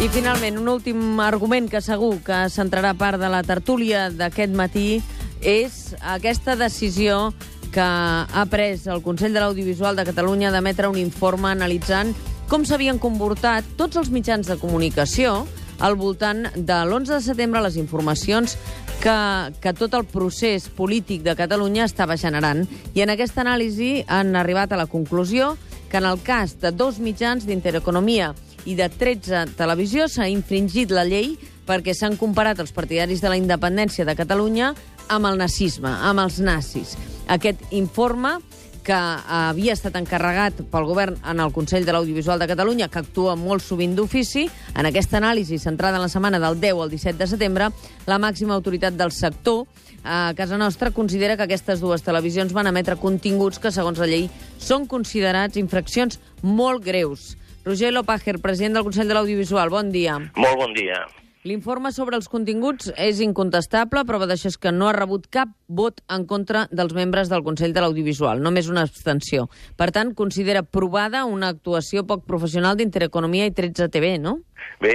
I finalment, un últim argument que segur que centrarà part de la tertúlia d'aquest matí és aquesta decisió que ha pres el Consell de l'Audiovisual de Catalunya d'emetre un informe analitzant com s'havien comportat tots els mitjans de comunicació al voltant de l'11 de setembre, les informacions que tot el procés polític de Catalunya estava generant. I en aquesta anàlisi han arribat a la conclusió que en el cas de 2 mitjans d'Intereconomia i de 13 televisió s'ha infringit la llei perquè s'han comparat els partidaris de la independència de Catalunya amb el nazisme, amb els nazis. Aquest informe, que havia estat encarregat pel govern en el Consell de l'Audiovisual de Catalunya, que actua molt sovint d'ofici, en aquesta anàlisi centrada en la setmana del 10 al 17 de setembre, la màxima autoritat del sector a casa nostra considera que aquestes 2 televisions van emetre continguts que, segons la llei, són considerats infraccions molt greus. Roger Loppacher, president del Consell de l'Audiovisual, bon dia. Molt bon dia. L'informe sobre els continguts és incontestable, prova d'això és que no ha rebut cap vot en contra dels membres del Consell de l'Audiovisual, només una abstenció. Per tant, considera provada una actuació poc professional d'Intereconomia i 13 TV, no? Bé,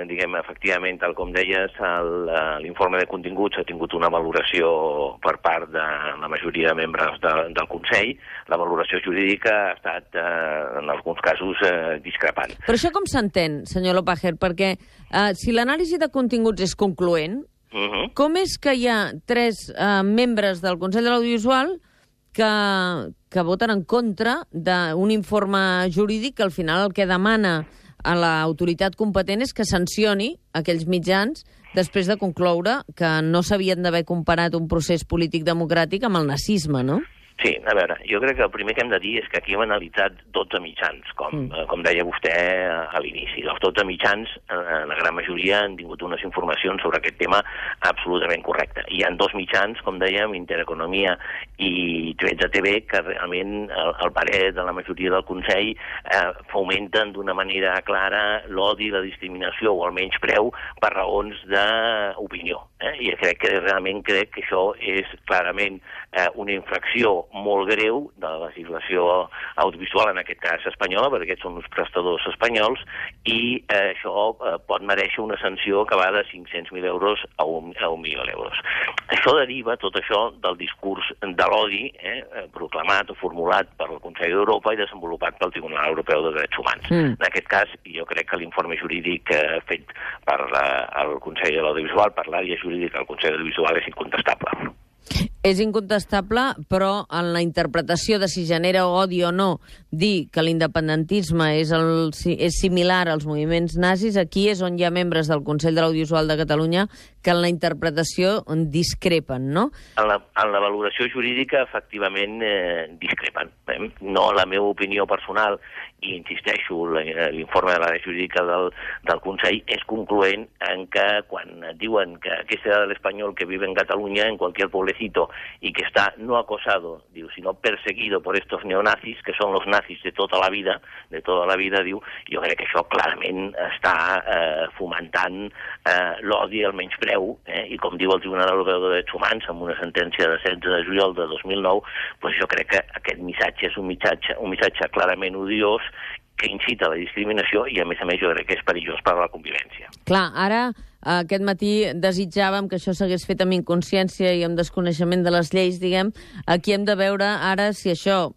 diguem, efectivament, tal com deies, l'informe de continguts ha tingut una valoració per part de la majoria de membres del Consell. La valoració jurídica ha estat, en alguns casos, discrepant. Però això com s'entén, senyor Loppacher? Perquè si l'anàlisi de continguts és concloent, com és que hi ha 3 membres del Consell de l'Audiovisual que voten en contra d'un informe jurídic que al final el que demana a l'autoritat competent és que sancioni aquells mitjans després de concloure que no s'havien d'haver comparat un procés polític democràtic amb el nazisme, no? Sí, a veure, jo crec que el primer que hem de dir és que aquí hem analitzat 12 mitjans, com deia vostè a l'inici. Els 12 mitjans, la gran majoria, han tingut unes informacions sobre aquest tema absolutament correctes. Hi ha 2 mitjans, com dèiem, Intereconomia i 13 TV, que realment el parer de la majoria del Consell fomenten d'una manera clara l'odi, la discriminació o el menyspreu per raons d'opinió. I crec que això és clarament una infracció molt greu de la legislació audiovisual, en aquest cas espanyola, perquè aquests són uns prestadors espanyols, i això pot mereixer una sanció que va de 500.000 euros a 1 milió d'euros. Això deriva, tot això, del discurs de l'odi proclamat o formulat per el Consell d'Europa i desenvolupat pel Tribunal Europeu de Drets Humans. En aquest cas, jo crec que l'informe jurídic fet per el Consell de l'Audiovisual, per l'àrea jurídica del Consell de l'Audiovisual, és incontestable. És incontestable, però en la interpretació de si genera odi o no dir que l'independentisme és similar als moviments nazis, aquí és on hi ha membres del Consell de l'Audiovisual de Catalunya que en la interpretació discrepen, no? En la valoració jurídica, efectivament, discrepen. No, la meva opinió personal, i insisteixo, l'informe de l'àrea jurídica del Consell és concloent en que quan diuen que aquest era l'espanyol que vive en Catalunya, en cualquier pueblecito, y que está no acosado, sino perseguido por estos neonazis, que son los nazis de toda la vida, diu, jo crec que això clarament està fomentant l'odi, el menyspreu, i com diu el Tribunal Europeu de Drets Humans, amb una sentència de 16 de juliol de 2009, doncs jo crec que aquest missatge és un missatge clarament odiós, que incita a la discriminació i, a més jo crec que és perillós per a la convivència. Clar, ara, aquest matí desitjàvem que això s'hagués fet amb inconsciència i amb desconeixement de les lleis, diguem. Aquí hem de veure ara si això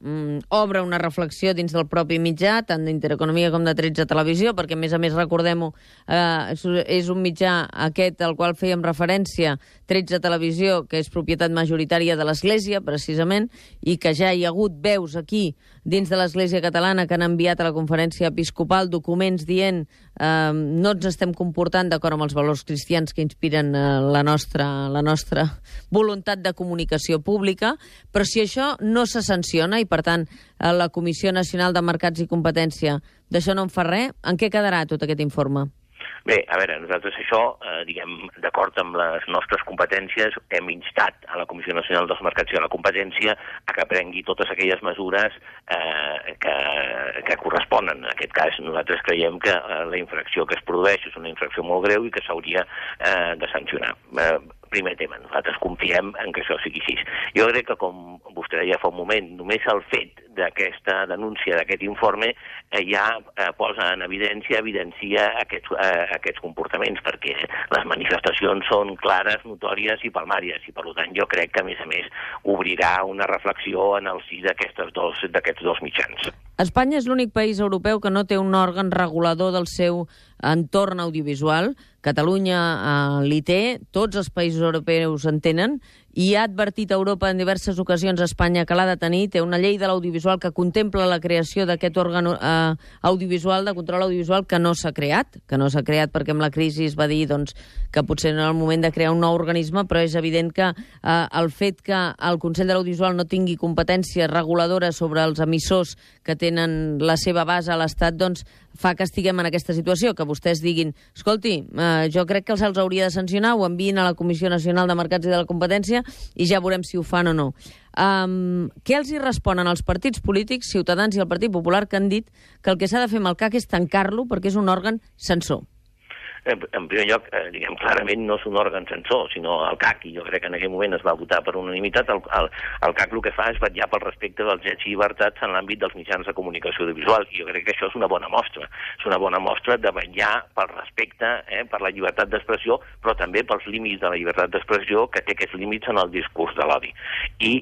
obre una reflexió dins del propi mitjà, tant d'Intereconomia com de 13 Televisió, perquè, a més, recordem-ho, és un mitjà aquest al qual fèiem referència, 13 Televisió, que és propietat majoritària de l'Església, precisament, i que ja hi ha hagut veus aquí, dins de l'Església catalana, que han enviat a la conferència episcopal documents dient no ens estem comportant d'acord amb els valors cristians que inspiren la nostra voluntat de comunicació pública, però si això no se sanciona i, per tant, la Comissió Nacional de Mercats i Competència d'això no en fa res, en què quedarà tot aquest informe? Bé, a veure, nosaltres això, diguem, d'acord amb les nostres competències, hem instat a la Comissió Nacional dels Mercats i de la Competència a que prengui totes aquelles mesures que corresponen. En aquest cas, nosaltres creiem que la infracció que es produeix és una infracció molt greu i que s'hauria de sancionar. primer tema. Nosaltres confiem en que això sigui així. Jo crec que, com vostè deia fa un moment, només el fet d'aquesta denúncia, d'aquest informe, ja posa en evidencia aquests comportaments, perquè les manifestacions són clares, notòries i palmàries, i per tant jo crec que, a més, obrirà una reflexió en el si d'aquests dos mitjans. Espanya és l'únic país europeu que no té un òrgan regulador del seu entorn audiovisual. Catalunya l'hi té, tots els països europeus en tenen, i ha advertit a Europa en diverses ocasions a Espanya que l'ha de tenir. Té una llei de l'audiovisual que contempla la creació d'aquest òrgan audiovisual, de control audiovisual, que no s'ha creat, perquè amb la crisi es va dir que potser no era el moment de crear un nou organisme, però és evident que el fet que el Consell de l'Audiovisual no tingui competència reguladora sobre els emissors que tenen la seva base a l'Estat, fa que estiguem en aquesta situació, que vostès diguin, escolti, jo crec que els hauria de sancionar, ho enviïn a la Comissió Nacional de Mercats i de la Competència i ja veurem si ho fan o no. Què els hi responen els partits polítics, Ciutadans i el Partit Popular, que han dit que el que s'ha de fer amb el CAC és tancar-lo perquè és un òrgan censor? En primer lloc, diguem, clarament no és un òrgan censor, sinó el CAC, i jo crec que en aquell moment es va votar per unanimitat. El CAC el que fa és vetllar pel respecte dels drets i llibertats en l'àmbit dels mitjans de comunicació audiovisual, i jo crec que això és una bona mostra. És una bona mostra de vetllar pel respecte, per la llibertat d'expressió, però també pels límits de la llibertat d'expressió, que té aquests límits en el discurs de l'odi. I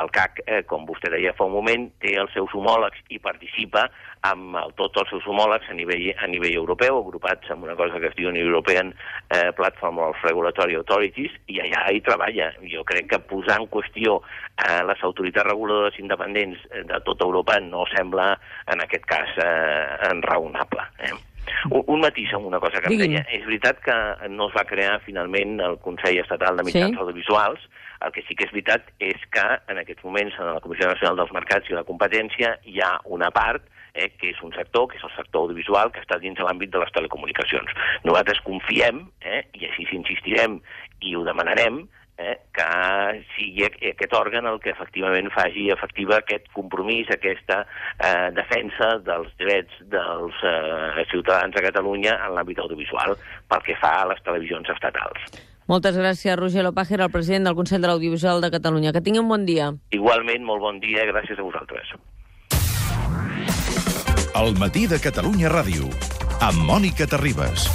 el CAC, com vostè deia fa un moment, té els seus homòlegs i participa amb tots els seus homòlegs a nivell europeu, agrupats en una cosa que es diu European Platform of Regulatory Authorities, i allà hi treballa. Jo crec que posar en qüestió les autoritats reguladores independents de tota Europa no sembla, en aquest cas, raonable. Un matís en una cosa que em deia. És veritat que no es va crear finalment el Consell Estatal de Mitjans Audiovisuals. El que sí que és veritat és que en aquests moments en la Comissió Nacional dels Mercats i la Competència hi ha una part que és un sector, que és el sector audiovisual, que està dins de l'àmbit de les telecomunicacions. Nosaltres confiem, i així insistirem i ho demanarem, que sigui aquest òrgan el que efectivament faci efectiva aquest compromís, aquesta defensa dels drets dels ciutadans de Catalunya en l'àmbit audiovisual pel que fa a les televisions estatals. Moltes gràcies, Roger Lopágera, el president del Consell de l'Audiovisual de Catalunya. Que tingui un bon dia. Igualment, molt bon dia, gràcies a vosaltres. El matí de Catalunya Ràdio, amb Mònica Terribas.